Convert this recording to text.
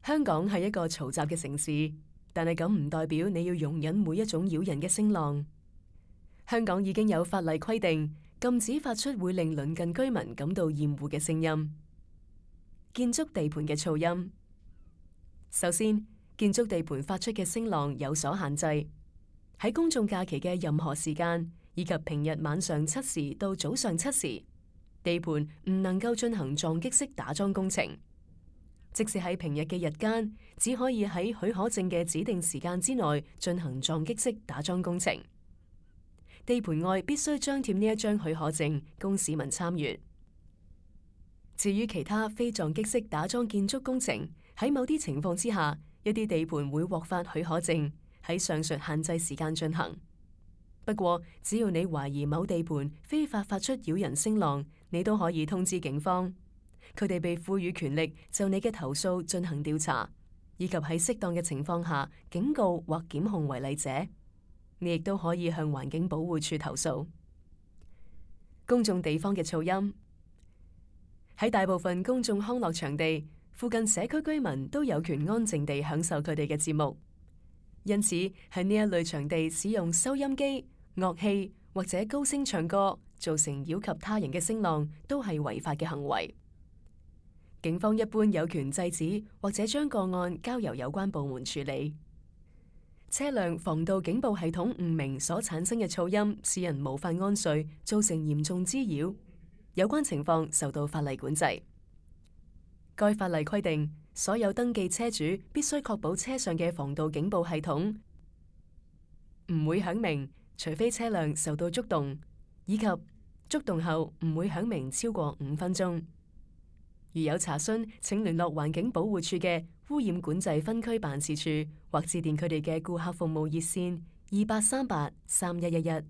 香港係一個嘈雜嘅城市，但係咁唔代表你要容忍每一種擾人嘅聲浪。香港已經有法例規定，禁止發出會令鄰近居民感到厭惡嘅聲音。建築地盤嘅噪音。首先，建築地盤發出嘅聲浪有所限制。喺公眾假期嘅任何時間，以及平日晚上7時到早上7時，地盤唔能夠進行撞擊式打樁工程。即使喺平日嘅日間，只可以喺許可證嘅指定時間之內進行撞擊式打樁工程。地盤外必須張貼呢一張許可證，供市民參閱。至於其他非撞擊式打樁建築工程，喺某啲情況之下，一啲地盤會獲發許可證，喺上述限制時間進行。不過，只要你懷疑某地盤非法發出擾人聲浪，你都可以通知警方。佢哋被賦予權力就你嘅投訴進行調查，以及喺適當嘅情況下警告或檢控違例者。你亦都可以向環境保護署投訴。公眾地方嘅噪音。喺大部分公眾康樂場地，附近社區居民都有權安靜地享受佢哋嘅節目。因此，喺呢一類場地使用收音機、樂器或者高聲唱歌，造成擾及他人嘅聲浪，都係違法嘅行為。警方一般有權制止或者將個案交由有關部門處理。車輛防盜警報系統誤鳴所產生嘅噪音，使人無法安睡，造成嚴重滋擾。有關情況受到法例管制。該法例規定，所有登記車主必須確保車上嘅防盜警報系統唔會響鳴，除非車輛受到觸動，以及觸動後唔會響鳴超過5分鐘。如有查詢，請聯絡環境保護署嘅污染管制分區辦事處，或致電佢哋嘅顧客服務熱線28383111。